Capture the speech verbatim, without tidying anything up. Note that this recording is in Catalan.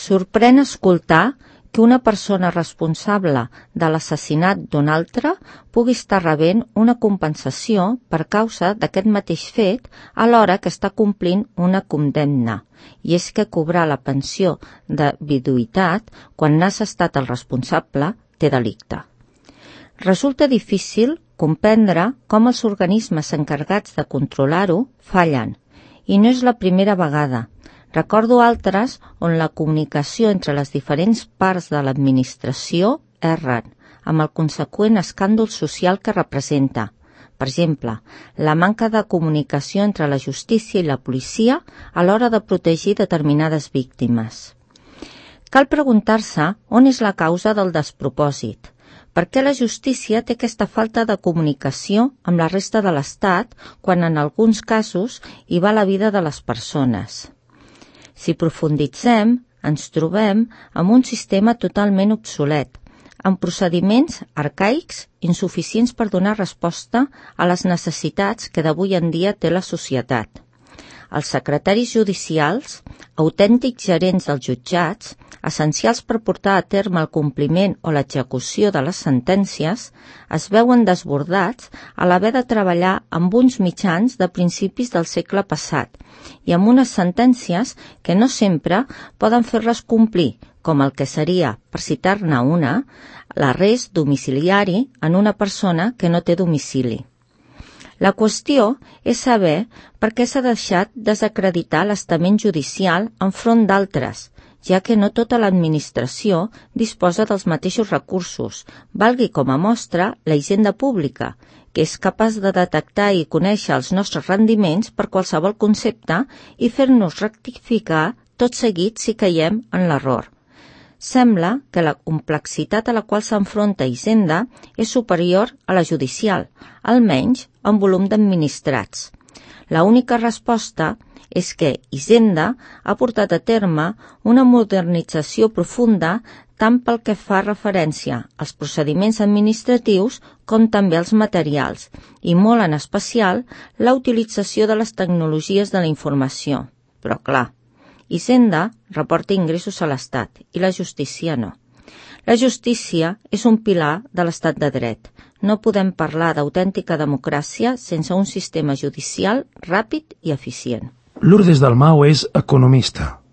Sorprèn escoltar que una persona responsable de l'assassinat d'un altre pugui estar rebent una compensació per causa d'aquest mateix fet alhora que està complint una condemna, i és que cobrar la pensió de viduïtat quan n'has estat el responsable té delicte. Resulta difícil comprendre com els organismes encarregats de controlar-ho fallen, i no és la primera vegada. Recordo altres on la comunicació entre les diferents parts de l'administració erren, amb el conseqüent escàndol social que representa. Per exemple, la manca de comunicació entre la justícia i la policia a l'hora de protegir determinades víctimes. Cal preguntar-se on és la causa del despropòsit. Per què la justícia té aquesta falta de comunicació amb la resta de l'Estat quan en alguns casos hi va la vida de les persones? Si profunditzem, ens trobem amb un sistema totalment obsolet, amb procediments arcaics insuficients per donar resposta a les necessitats que d'avui en dia té la societat. Els secretaris judicials, autèntics gerents dels jutjats, essencials per portar a terme el compliment o l'execució de les sentències, es veuen desbordats a l'haver de treballar amb uns mitjans de principis del segle passat i amb unes sentències que no sempre poden fer-les complir, com el que seria, per citar-ne una, l'arrest domiciliari en una persona que no té domicili. La qüestió és saber per què s'ha deixat desacreditar l'estament judicial enfront d'altres, ja que no tota l'administració disposa dels mateixos recursos, valgui com a mostra la hisenda pública, que és capaç de detectar i conèixer els nostres rendiments per qualsevol concepte i fer-nos rectificar tot seguit si caiem en l'error. Sembla que la complexitat a la qual s'enfronta Hisenda és superior a la judicial, almenys en volum d'administrats. La única resposta és que Hisenda ha portat a terme una modernització profunda tant pel que fa referència als procediments administratius com també als materials, i molt en especial la utilització de les tecnologies de la informació. Però clar, Hisenda reporta ingressos a l'Estat i la justícia no. La justícia és un pilar de l'Estat de dret. No podem parlar d'autèntica democràcia sense un sistema judicial ràpid i eficient. Lourdes Dalmau és economista.